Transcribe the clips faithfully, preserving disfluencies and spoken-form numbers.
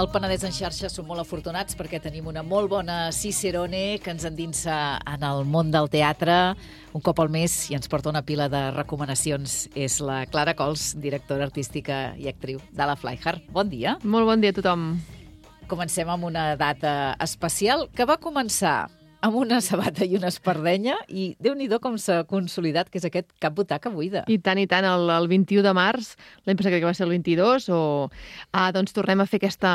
Al Penedès en xarxa som molt afortunats perquè tenim una molt bona Cicerone que ens endinsa en el món del teatre un cop al mes i ens porta una pila de recomanacions. És la Clara Cols, directora artística i actriu de la Flyhard. Bon dia. Molt bon dia a tothom. Comencem amb una data especial que va començar amb una sabata i una espardenya i Déu-n'hi-do com s'ha consolidat, que és aquest cap butaca buida. I tant, i tant, el, el vint-i-u de març, l'any passat crec que va ser el vint-i-dos, o ah, doncs tornem a fer aquesta,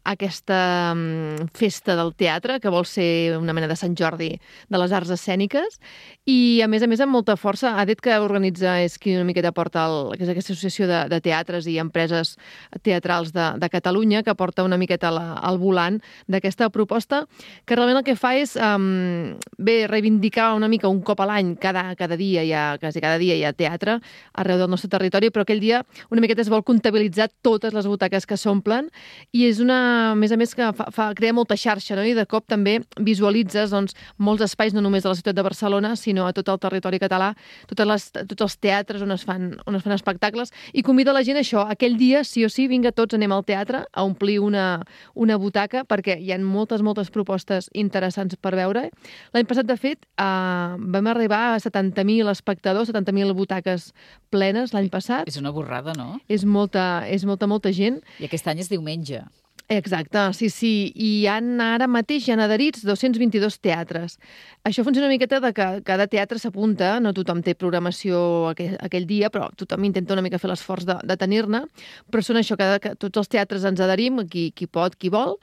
aquesta um, festa del teatre, que vol ser una mena de Sant Jordi de les arts escèniques, i a més a més amb molta força. A dit que organitza és qui una miqueta porta el, que és aquesta associació de, de teatres i empreses teatrals de, de Catalunya, que porta una miqueta la, al volant d'aquesta proposta, que realment el que fa és um, bé, reivindicar una mica un cop a l'any, cada, cada dia hi ha, quasi cada dia hi ha teatre arreu del nostre territori, però aquell dia una miqueta es vol comptabilitzar totes les butaques que s'omplen i és una, a més a més, que fa, fa, crea molta xarxa, no? I de cop també visualitzes doncs, molts espais, no només de la ciutat de Barcelona, sinó a tot el territori català, totes les, tots els teatres on es, fan, on es fan espectacles, i convida la gent a això, aquell dia, sí o sí, vinga, tots anem al teatre a omplir una, una butaca, perquè hi ha moltes, moltes propostes interessants per veure. L'any passat, de fet, eh, vam arribar a setanta mil espectadors, setanta mil butaques plenes l'any passat. És una borrada, no? És molta, és molta, molta gent. I aquest any és diumenge. Exacte, sí, sí. I hi ha, ara mateix hi ha adherits dos-cents vint-i-dos teatres. Això funciona una miqueta de que cada teatre s'apunta, no tothom té programació aquell, aquell dia, però tothom intenta una mica fer l'esforç de, de tenir-ne, però són això, que, que tots els teatres ens adherim, qui, qui pot, qui vol,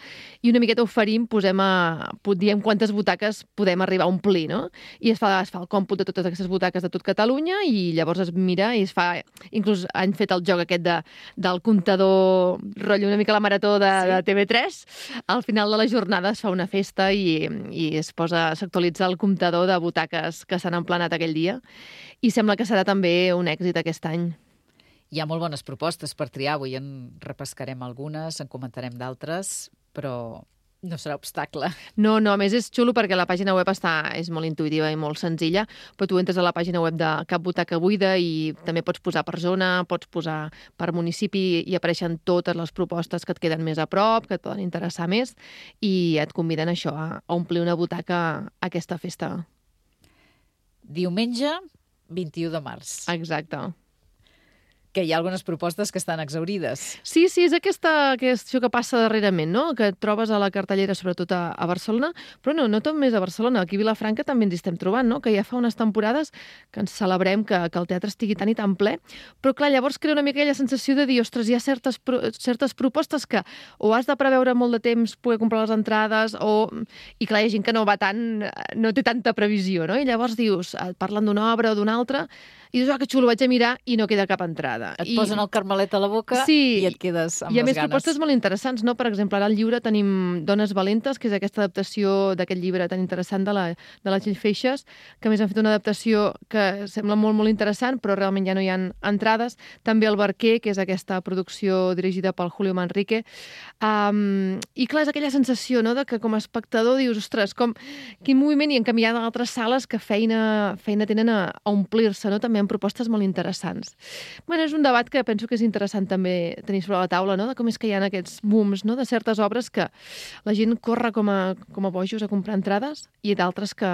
i una miqueta oferim, posem a, diem quantes butaques podem arribar a omplir, no? I es fa, es fa el còmput de totes aquestes butaques de tot Catalunya i llavors es mira i es fa, inclús han fet el joc aquest de, del comptador, rotllo una mica la marató de, sí. de T V tres, al final de la jornada es fa una festa i, i es posa, s'actualitza el comptador de butaques que s'han emplenat aquell dia i sembla que serà també un èxit aquest any. Hi ha molt bones propostes per triar, avui en repescarem algunes, en comentarem d'altres, però no serà obstacle. No, no, a més és xulo perquè la pàgina web està, és molt intuïtiva i molt senzilla, però tu entres a la pàgina web de Cap Butaca Buida i també pots posar per zona, pots posar per municipi i apareixen totes les propostes que et queden més a prop, que et poden interessar més i et conviden a això, a omplir una butaca a aquesta festa. Diumenge, vint-i-u de març. Exacte. Que hi ha algunes propostes que estan exaurides. Sí, sí, és aquesta, això que passa darrerament, no? Que et trobes a la cartellera, sobretot a, a Barcelona, però no, no tot més a Barcelona. Aquí a Vilafranca també ens hi estem trobant, no? Que ja fa unes temporades que ens celebrem que, que el teatre estigui tan i tan ple, però clar, llavors crea una mica aquella sensació de dir, ostres, hi ha certes, certes propostes que o has de preveure molt de temps poder comprar les entrades, o... i clar, hi ha gent que no va tant, no té tanta previsió, no? I llavors dius, parlen d'una obra o d'una altra, i dius, ah, que xulo, vaig a mirar i no queda cap entrada. Et I... posen el carmelet a la boca sí, i et quedes amb les ganes. I a més ganes. propostes molt interessants, no? Per exemple, ara al llibre tenim Dones Valentes, que és aquesta adaptació d'aquest llibre tan interessant de la, de la Txell Feixes, que a més han fet una adaptació que sembla molt, molt interessant, però realment ja no hi ha entrades. També El Barquer, que és aquesta producció dirigida pel Julio Manrique. Um, I clar, és aquella sensació, no?, de que com a espectador dius, ostres, com, quin moviment, i en canvi hi ha d'altres sales que feina, feina tenen a, a omplir-se, no?, també amb propostes molt interessants. Bueno, és un debat que penso que és interessant també tenir sobre la taula, no?, de com és que hi ha aquests booms, no?, de certes obres que la gent corre com a, com a bojos a comprar entrades i d'altres que,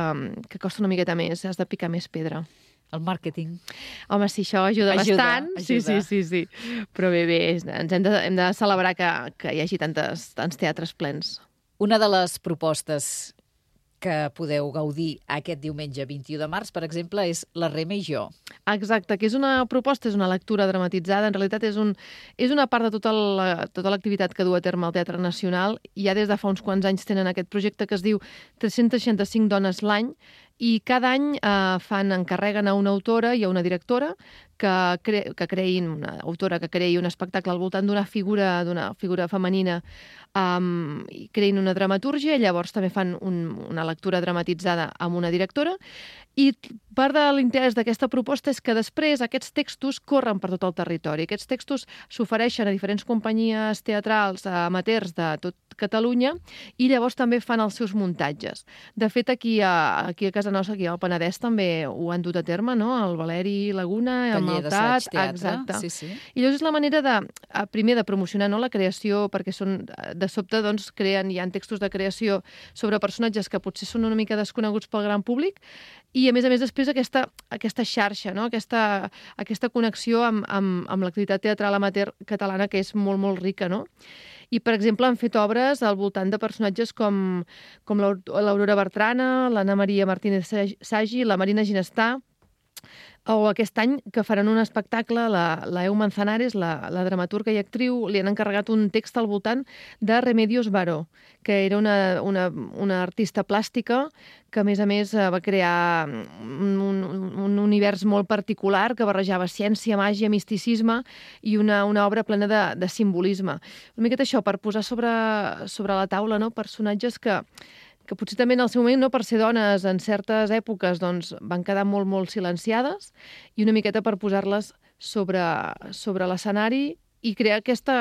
que costa una miqueta més, has de picar més pedra. El màrqueting. Home, sí, això ajuda, ajuda bastant. Ajuda. Sí, sí, sí, sí. Però bé, bé, ens hem de, hem de celebrar que, que hi hagi tantes, tants teatres plens. Una de les propostes que podeu gaudir aquest diumenge vint-i-u de març, per exemple, és La Rema i jo. Exacte, que és una proposta, és una lectura dramatitzada, en realitat és, un, és una part de tota la, tota l'activitat que du a terme el Teatre Nacional. Ja des de fa uns quants anys tenen aquest projecte que es diu tres-cents seixanta-cinc dones l'any, i cada any eh, fan, encarreguen a una autora i a una directora que, cre que creïn, una autora que creï un espectacle al voltant d'una figura, d'una figura femenina, um, i creïn una dramatúrgia, i llavors també fan un, una lectura dramatitzada amb una directora, I part de l'interès d'aquesta proposta és que després aquests textos corren per tot el territori. Aquests textos s'ofereixen a diferents companyies teatrals amateurs de tot Catalunya i llavors també fan els seus muntatges. De fet, aquí a, aquí a casa nostra, aquí al Penedès, també ho han dut a terme, no? El Valeri Laguna, el Maltat... Exacte. Sí, sí. I llavors és la manera de, primer, de promocionar, no?, la creació, perquè són, de sobte doncs, creen, hi ha textos de creació sobre personatges que potser són una mica desconeguts pel gran públic, i a més a més després aquesta, aquesta xarxa, no?, aquesta, aquesta connexió amb, amb, amb l'activitat teatral amateur catalana, que és molt, molt rica, no? I, per exemple, han fet obres al voltant de personatges com, com l'Aurora Bertrana, l'Anna Maria Martínez Sagi, la Marina Ginestà, o aquest any que faran un espectacle, la, la Eu Manzanares, la, la dramaturga i actriu, li han encarregat un text al voltant de Remedios Varo, que era una, una, una artista plàstica que, a més a més, va crear un, un, un univers molt particular que barrejava ciència, màgia, misticisme i una, una obra plena de, de simbolisme. Una miqueta això, per posar sobre, sobre la taula, no?, personatges que que potser també en el seu moment, no, per ser dones en certes èpoques, doncs, van quedar molt, molt silenciades, i una miqueta per posar-les sobre, sobre l'escenari i crear aquesta,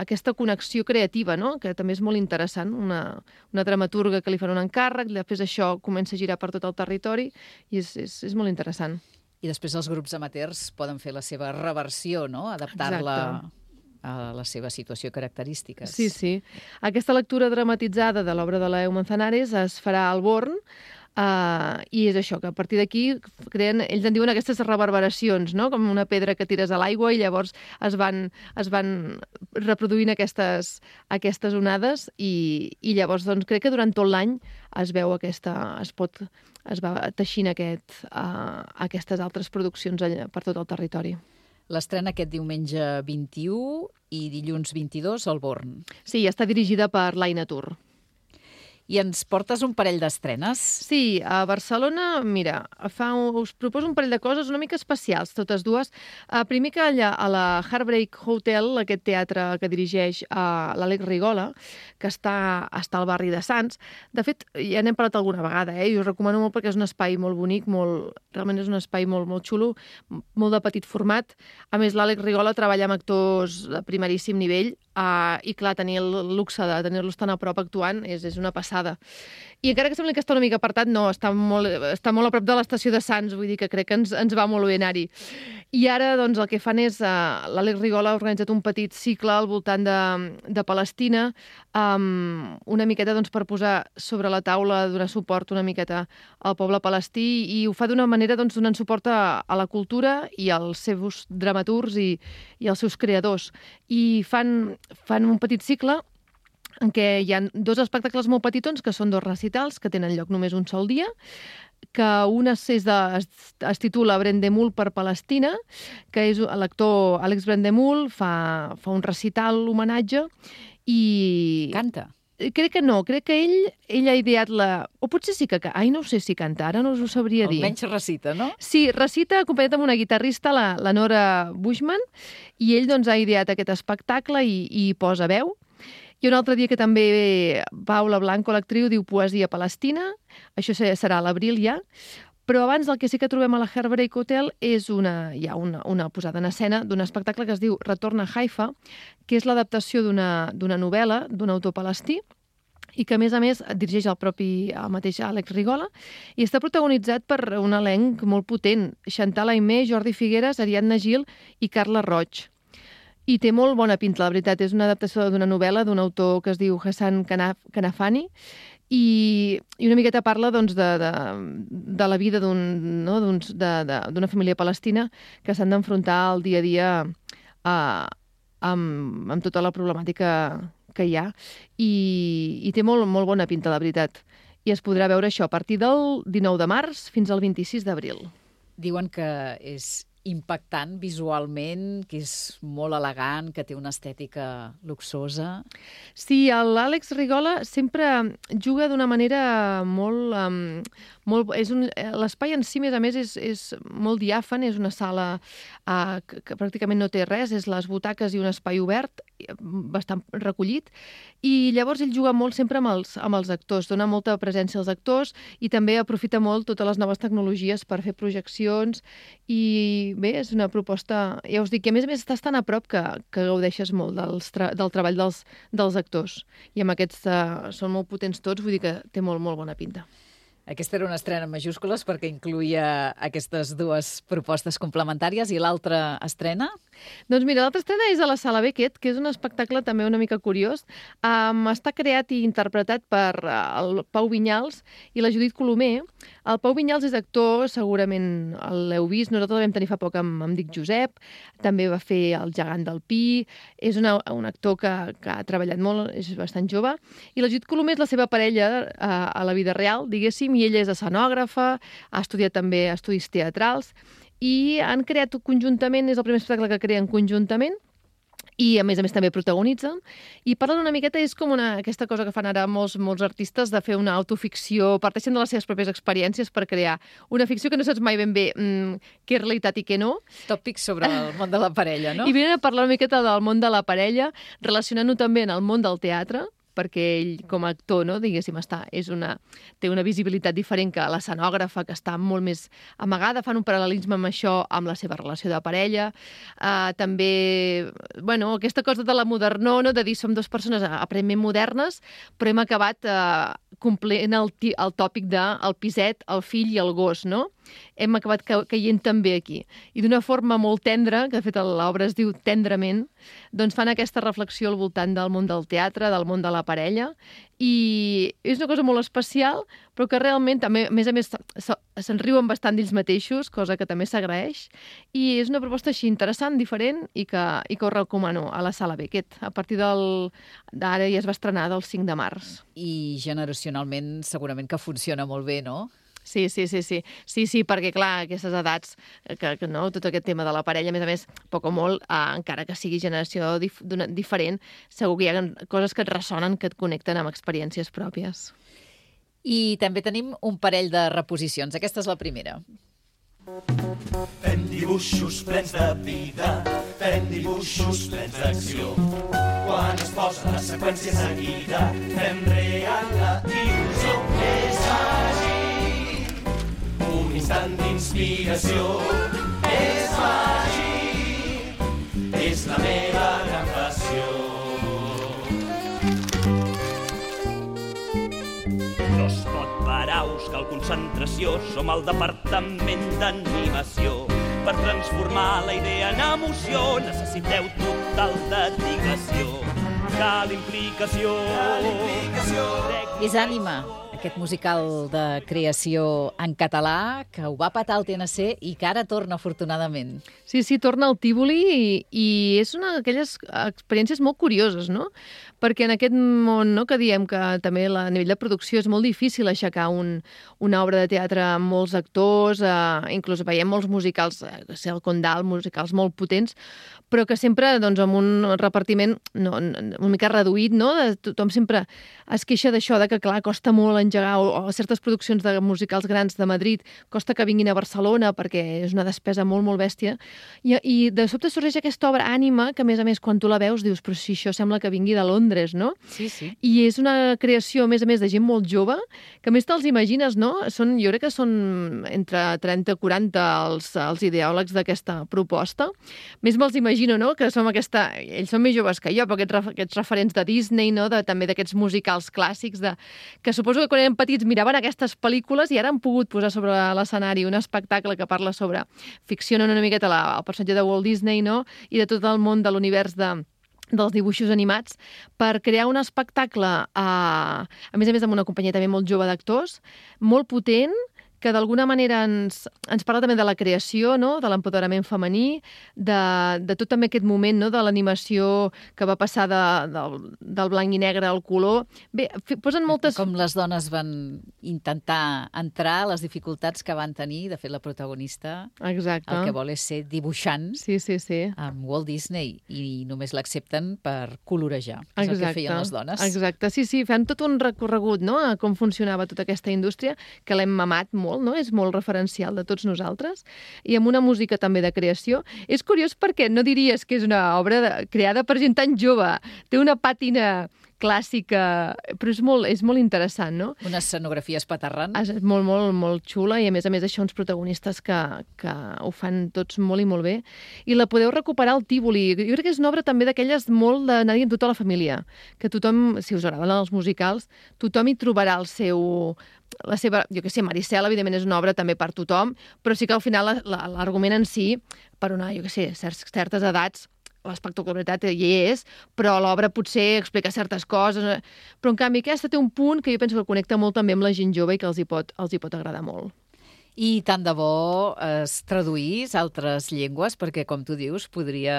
aquesta connexió creativa, no?, que també és molt interessant. Una, una dramaturga que li fan un encàrrec, després això comença a girar per tot el territori, i és, és, és molt interessant. I després els grups amateurs poden fer la seva reversió, no?, adaptar-la... Exacte. A la seva situació i característiques. Sí, sí. Aquesta lectura dramatitzada de l'obra de la Eu Manzanares es farà al Born, uh, i és això, que a partir d'aquí creen, ells en diuen aquestes reverberacions, no?, com una pedra que tires a l'aigua i llavors es van, es van reproduint aquestes, aquestes onades i, i llavors doncs, crec que durant tot l'any es veu aquesta, es pot, es va teixint aquest, uh, aquestes altres produccions per tot el territori. L'estrena aquest diumenge vint-i-u i dilluns vint-i-dos al Born. Sí, està dirigida per l'Aina Tur. I ens portes un parell d'estrenes? Sí, a Barcelona, mira, fa, us proposo un parell de coses una mica especials, totes dues. Uh, primer que allà, a la Heartbreak Hotel, aquest teatre que dirigeix uh, l'Àlex Rigola, que està, està al barri de Sants. De fet, ja n'hem parlat alguna vegada, eh? I us recomano molt perquè és un espai molt bonic, molt, realment és un espai molt, molt xulo, molt de petit format. A més, l'Àlex Rigola treballa amb actors de primeríssim nivell, uh, i clar, tenir el luxe de tenir-los tan a prop actuant és, és una passada. I encara que sembli que està una mica apartat, no, està molt, està molt a prop de l'estació de Sants, vull dir que crec que ens, ens va molt bé anar-hi. I ara, doncs, el que fan és, uh, l'Àlex Rigola ha organitzat un petit cicle al voltant de, de Palestina, um, una miqueta, doncs, per posar sobre la taula, donar suport una miqueta al poble palestí, i ho fa d'una manera, doncs, donant suport a, a la cultura i als seus dramaturgs i, i als seus creadors. I fan, fan un petit cicle en què hi ha dos espectacles molt petitons, que són dos recitals, que tenen lloc només un sol dia, que un és de, es, es titula Brendemul per Palestina, que és l'actor Àlex Brendemul, fa, fa un recital, homenatge, i... Canta? Crec que no, crec que ell, ell ha ideat la... O potser sí que... Ai, no ho sé si canta, ara no us ho sabria dir. Almenys recita, no? Sí, recita acompanyat amb una guitarrista, la, la Nora Bushman, i ell doncs ha ideat aquest espectacle i, i posa veu. I un altre dia que també Paula Blanco, l'actriu, diu Poesia Palestina. Això serà a l'abril ja. Però abans el que sí que trobem a la Heartbreak Hotel és una, hi ha una, una posada en escena d'un espectacle que es diu Retorn a Haifa, que és l'adaptació d'una d'una novel·la d'un autor palestí i que, a més a més, dirigeix el propi el mateix Àlex Rigola, i està protagonitzat per un elenc molt potent. Chantal Aimé, Jordi Figueres, Ariadna Gil i Carla Roig. I té molt bona pinta, la veritat. És una adaptació d'una novel·la d'un autor que es diu Hassan Kanafani, i, i una miqueta parla doncs, de, de, de la vida d'un, no, d'una família palestina que s'han d'enfrontar al dia a dia uh, amb, amb tota la problemàtica que hi ha. I, i té molt, molt bona pinta, la veritat. I es podrà veure això a partir del dinou de març fins al vint-i-sis d'abril. Diuen que és impactant visualment, que és molt elegant, que té una estètica luxosa. Sí, l'Àlex Rigola sempre juga d'una manera molt... Um, molt és un, l'espai en si, més a més, és, és molt diàfan, és una sala uh, que, que pràcticament no té res, és les butaques i un espai obert, bastant recollit, i llavors ell juga molt sempre amb els, amb els actors, dona molta presència als actors i també aprofita molt totes les noves tecnologies per fer projeccions i bé, és una proposta, ja us dic, que a més a més estàs tan a prop que, que gaudeixes molt dels tra del treball dels, dels actors i amb aquests uh, són molt potents tots, vull dir que té molt, molt bona pinta. Aquesta era una estrena en majúscules perquè incluïa aquestes dues propostes complementàries i l'altra estrena? Doncs mira, l'altra estrena és a la Sala Beckett, que és un espectacle també una mica curiós. Um, està creat i interpretat per el Pau Vinyals i la Judit Colomer. El Pau Vinyals és actor, segurament l'heu vist, nosaltres el vam tenir fa poc amb, amb Dic Josep, també va fer El gegant del Pi, és una, un actor que, que ha treballat molt, és bastant jove, i la Judit Colomer és la seva parella uh, a la vida real, diguéssim, i ella és escenògrafa, ha estudiat també estudis teatrals, i han creat conjuntament, és el primer espectacle que creen conjuntament, i a més a més també protagonitzen, i parlen una miqueta, és com una, aquesta cosa que fan ara molts, molts artistes, de fer una autoficció, parteixen de les seves pròpies experiències per crear una ficció que no saps mai ben bé mm, què és realitat i què no. Tòpics sobre el món de la parella, no? I venen a parlar una miqueta del món de la parella, relacionant-ho també en el món del teatre, perquè ell, com a actor, no, diguéssim, està, és una, té una visibilitat diferent que l'escenògrafa, que està molt més amagada, fan un paral·lelisme amb això, amb la seva relació de parella. Uh, també, bueno, aquesta cosa de la modernó, no, de dir som dues persones aparentment modernes, però hem acabat uh, complint el, el tòpic de el piset, el fill i el gos, no? Hem acabat ca caient també aquí. I d'una forma molt tendra, que de fet l'obra es diu Tendrament, doncs fan aquesta reflexió al voltant del món del teatre, del món de la parella, i és una cosa molt especial, però que realment també, a més a més, se'n riuen bastant d'ells mateixos, cosa que també s'agraeix, i és una proposta així interessant, diferent, i que, i que us recomano a la Sala Beckett. A partir del... d'ara ja es va estrenar del cinc de març. I generacionalment segurament que funciona molt bé, no? Sí, sí, sí, sí, sí, sí, perquè clar, aquestes edats, que, que no, tot aquest tema de la parella, a més a més, poc o molt, eh, encara que sigui generació dif diferent, segur que hi ha coses que et ressonen, que et connecten amb experiències pròpies. I també tenim un parell de reposicions. Aquesta és la primera. Fem dibuixos plens de vida, fem dibuixos plens d'acció. Quan es posa la seqüència seguida, fem real la il·lusió. És màgic, un instant d'inspiració. És màgic, és la meva gran passió. No es pot parar, cal concentració, som el departament d'animació. Per transformar la idea en emoció necessiteu total dedicació. Cal implicació. Cal implicació. És Ànima, aquest musical de creació en català, que ho va patar al T N C i que ara torna, afortunadament. Sí, sí, torna al Tívoli i, i és una d'aquelles experiències molt curioses, no? Perquè en aquest món, no, que diem que també a nivell de producció és molt difícil aixecar un, una obra de teatre amb molts actors, eh, inclús veiem molts musicals, eh, el Condal, musicals molt potents, però que sempre doncs, amb un repartiment no, una mica reduït, no? De, tothom sempre es queixa d'això, de que clar, costa molt engegar, o, o certes produccions de musicals grans de Madrid, costa que vinguin a Barcelona perquè és una despesa molt, molt bèstia, i, i de sobte sorgeix aquesta obra Ànima, que a més a més quan tu la veus dius, però si això sembla que vingui de Londres, no? Sí, sí. I és una creació, a més a més, de gent molt jove, que a més te'ls imagines, no? Són, jo crec que són entre trenta i quaranta els, els ideòlegs d'aquesta proposta. Més me'ls imagino, no?, que som aquesta... Ells són més joves que jo, però aquests, aquests referents de Disney, no?, de, també d'aquests musicals clàssics, de, que suposo que quan eren petits miraven aquestes pel·lícules i ara han pogut posar sobre l'escenari un espectacle que parla sobre... Ficcionen una miqueta la, el personatge de Walt Disney, no?, i de tot el món de l'univers de... dels dibuixos animats, per crear un espectacle, eh, a més a més amb una companyia també molt jove d'actors, molt potent, que d'alguna manera ens, ens parla també de la creació, no? De l'empoderament femení, de, de tot també aquest moment, no? De l'animació que va passar de, del, del blanc i negre al color. Bé, posen moltes... Com les dones van intentar entrar, les dificultats que van tenir. De fet, la protagonista Exacte. El que vol és ser dibuixant sí, sí, sí. amb Walt Disney i només l'accepten per colorejar. És Exacte. El que feien les dones. Exacte, sí, sí, fan tot un recorregut, no?, a com funcionava tota aquesta indústria, que l'hem mamat molt, no?, és molt referencial de tots nosaltres, i amb una música també de creació. És curiós perquè no diries que és una obra de, creada per gent tan jove, té una pàtina clàssica, però és molt, és molt interessant, no? Una escenografia espaterrant. És molt, molt, molt xula i, a més a més, això uns protagonistes que, que ho fan tots molt i molt bé. I la podeu recuperar al Tívoli. Jo crec que és una obra també d'aquelles molt d'anar-hi amb tota la família, que tothom, si us agraden els musicals, tothom hi trobarà el seu... la seva, jo què sé, Maricel, evidentment, és una obra també per tothom, però sí que al final l'argument en si, per una, jo què sé, certes edats, l'espectacularitat hi és, però l'obra potser explica certes coses. Però, en canvi, aquesta té un punt que jo penso que connecta molt també amb la gent jove i que els hi pot, els hi pot agradar molt. I tant de bo es traduís a altres llengües, perquè, com tu dius, podria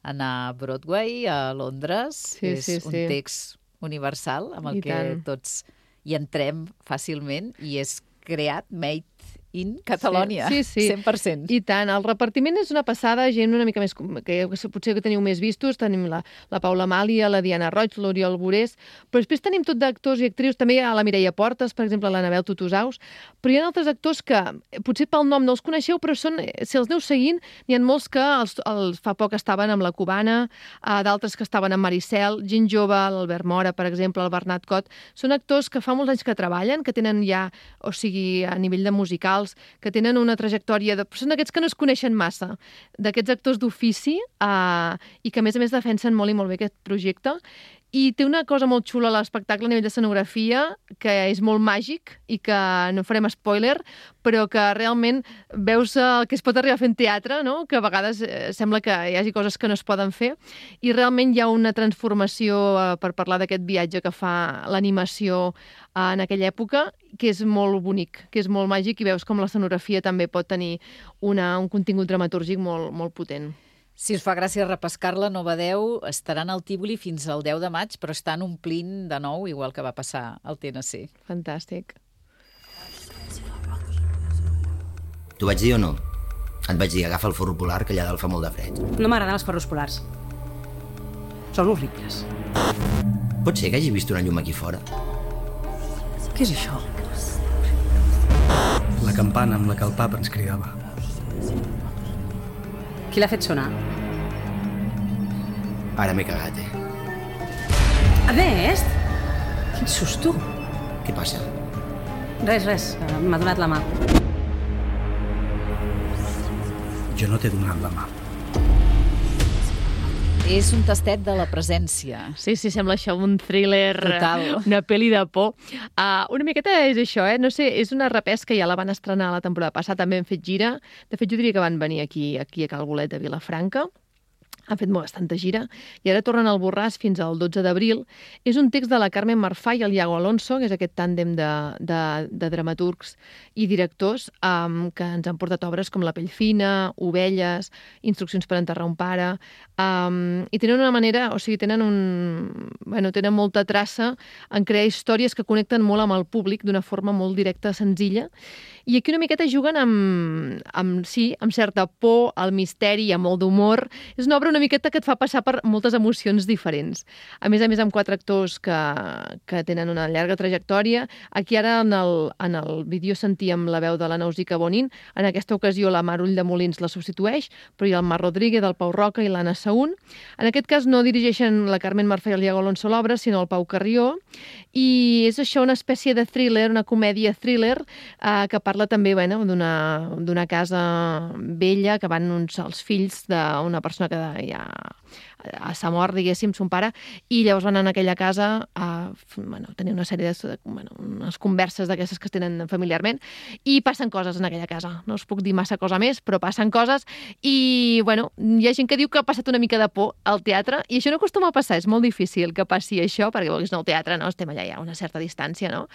anar a Broadway, a Londres. Sí, és sí, un sí. text universal amb el I que tant. tots hi entrem fàcilment i és creat, made in Catalònia, sí, sí, sí. cent per cent. I tant, el repartiment és una passada, gent una mica més, que potser que teniu més vistos, tenim la, la Paula Amàlia, la Diana Roig, l'Oriol Borés, però després tenim tot d'actors i actrius, també hi ha la Mireia Portes, per exemple, l'Anabel Tutusaus, però hi ha altres actors que potser pel nom no els coneixeu, però són, si els aneu seguint, n'hi ha molts que els, els, fa poc estaven amb la Cubana, uh, d'altres que estaven amb Maricel, gent jove, l'Albert Mora, per exemple, el Bernat Cot, són actors que fa molts anys que treballen, que tenen ja, o sigui, a nivell de musical, que tenen una trajectòria, de... són aquests que no es coneixen massa, d'aquests actors d'ofici eh, i que, a més a més, defensen molt i molt bé aquest projecte. I té una cosa molt xula a l'espectacle a nivell d'escenografia, que és molt màgic i que no farem spoiler, però que realment veus el que es pot arribar a fer en teatre, no? Que a vegades eh, sembla que hi hagi coses que no es poden fer, i realment hi ha una transformació eh, per parlar d'aquest viatge que fa l'animació eh, en aquella època, que és molt bonic, que és molt màgic, i veus com l'escenografia també pot tenir una, un contingut dramatúrgic molt, molt potent. Si us fa gràcia repescar-la, no badeu, estaran al Tívoli fins al deu de maig, però estan omplint de nou, igual que va passar al T N C. Fantàstic. T'ho vaig dir o no? Et vaig dir, agafa el forro polar, que allà dalt fa molt de fred. No m'agraden els forros polars. Són horribles. Pot ser que hagi vist una llum aquí fora? Què és això? La campana amb la que el papa ens cridava. Qui l'ha fet sonar? Ara m'he cagat, eh? Ernest! Quin susto! Què passa? Res, res, m'ha donat la mà. Jo no t'he donat la mà. És un tastet de la presència. Sí, sí, sembla això un thriller, Total. una pel·li de por. Uh, una miqueta és això, eh? No sé, és una repesca, ja la van estrenar la temporada passada, també han fet gira. De fet, jo diria que van venir aquí, aquí a Cal Bolet de Vilafranca. Han fet molt bastanta gira, i ara tornen al Borràs fins al dotze d'abril. És un text de la Carmen Marfà i el Iago Alonso, que és aquest tàndem de, de, de dramaturgs i directors um, que ens han portat obres com La pell fina, Ovelles, Instruccions per enterrar un pare, um, i tenen una manera, o sigui, tenen un... Bueno, tenen molta traça en crear històries que connecten molt amb el públic d'una forma molt directa, senzilla, i aquí una miqueta juguen amb, amb, sí, amb certa por, el misteri, amb molt d'humor. És una obra una miqueta que et fa passar per moltes emocions diferents. A més a més, amb quatre actors que, que tenen una llarga trajectòria. Aquí ara en el, en el vídeo sentíem la veu de la Nausica Bonin. En aquesta ocasió la Mar Ull de Molins la substitueix, però hi ha el Mar Rodríguez, el Pau Roca i l'Anna Saún. En aquest cas no dirigeixen la Carmen Marfà i el Iago Alonso l'obra, sinó el Pau Carrió. I és això, una espècie de thriller, una comèdia thriller, eh, que parla també bueno, d'una d'una casa vella que van uns, els fills d'una persona que ja a sa mort, diguéssim, son pare, i llavors van anar a aquella casa a bueno, tenir una sèrie de, bueno, unes converses d'aquestes que es tenen familiarment, i passen coses en aquella casa. No us puc dir massa cosa més, però passen coses, i bueno, hi ha gent que diu que ha passat una mica de por al teatre, i això no acostuma a passar, és molt difícil que passi això, perquè vulguis no, el teatre, no, estem allà ja a una certa distància, no?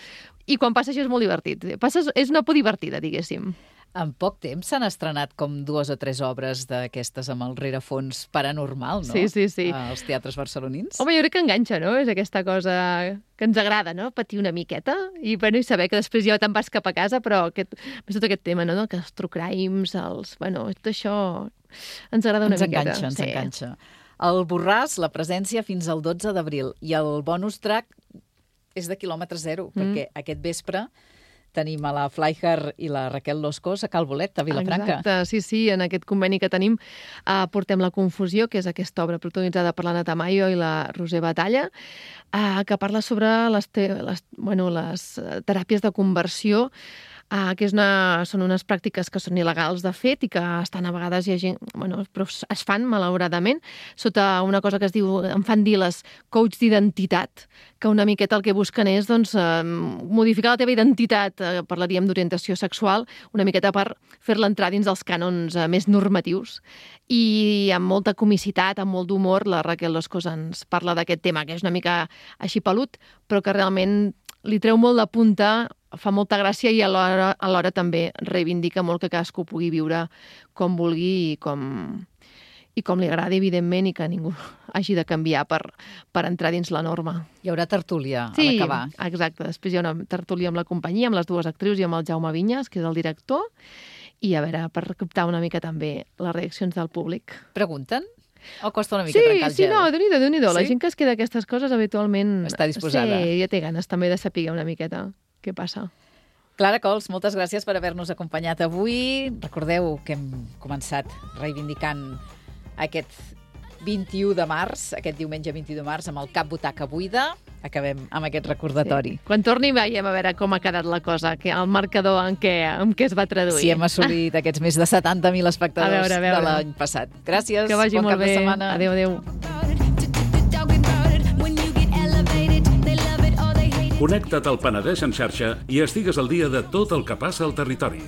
I quan passa això és molt divertit. Passa, és una por divertida, diguéssim. En poc temps s'han estrenat com dues o tres obres d'aquestes amb el rerefons paranormal, no? Sí, sí, sí. Als teatres barcelonins. Home, jo crec que enganxa, no? És aquesta cosa que ens agrada, no? Patir una miqueta i, bueno, i saber que després ja te'n vas cap a casa, però aquest, més tot aquest tema, no? Que els true crimes, els... Bueno, tot això ens agrada una ens miqueta. Ens enganxa, ens sí. enganxa. El Borràs, la presència fins al dotze d'abril, i el bonus track és de quilòmetre zero, mm. perquè aquest vespre tenim a la Flyher i la Raquel Loscos a Cal Bolet, a Vilafranca. Exacte, sí, sí, en aquest conveni que tenim uh, portem La confusió, que és aquesta obra protagonitzada per l'Anna Tamayo i la Roser Batalla, uh, que parla sobre les, te les, bueno, les teràpies de conversió, Uh, que és una, són unes pràctiques que són il·legals de fet i que estan a vegades hi ha gent, bueno, però es fan malauradament sota una cosa que es diu, em fan dir les coach d'identitat, que una miqueta el que busquen és doncs, uh, modificar la teva identitat, uh, parlaríem d'orientació sexual, una miqueta per fer-la entrar dins dels cànons uh, més normatius. I amb molta comicitat, amb molt d'humor, la Raquel Loscos ens parla d'aquest tema, que és una mica així pelut, però que realment li treu molt de punta, fa molta gràcia i alhora, alhora també reivindica molt que cadascú pugui viure com vulgui i com, i com li agradi, evidentment, i que ningú hagi de canviar per, per entrar dins la norma. Hi haurà tertúlia sí, a l'acabar. Sí, exacte. Després hi ha una tertúlia amb la companyia, amb les dues actrius i amb el Jaume Vinyes, que és el director, i a veure, per captar una mica també les reaccions del públic. Pregunten? O costa una mica sí, trencar el sí, gel? Sí, no, déu-n'hi-do, déu-n'hi-do. Sí? La gent que es queda aquestes coses habitualment... Està disposada. Sí, ja té ganes també de saber una miqueta què passa. Clara Cols, moltes gràcies per haver-nos acompanyat avui. Recordeu que hem començat reivindicant aquest vint-i-u de març, aquest diumenge vint-i-u de març, amb el Cap Butaca Buida. Acabem amb aquest recordatori. Sí. Quan torni veiem a veure com ha quedat la cosa, que el marcador en què, en què es va traduir. Si hem assolit aquests més de setanta mil espectadors a veure, a veure. de l'any passat. Gràcies, que vagi bon molt cap bé. de setmana. Adéu, adéu. Connecta't al Penedès en xarxa i estigues al dia de tot el que passa al territori.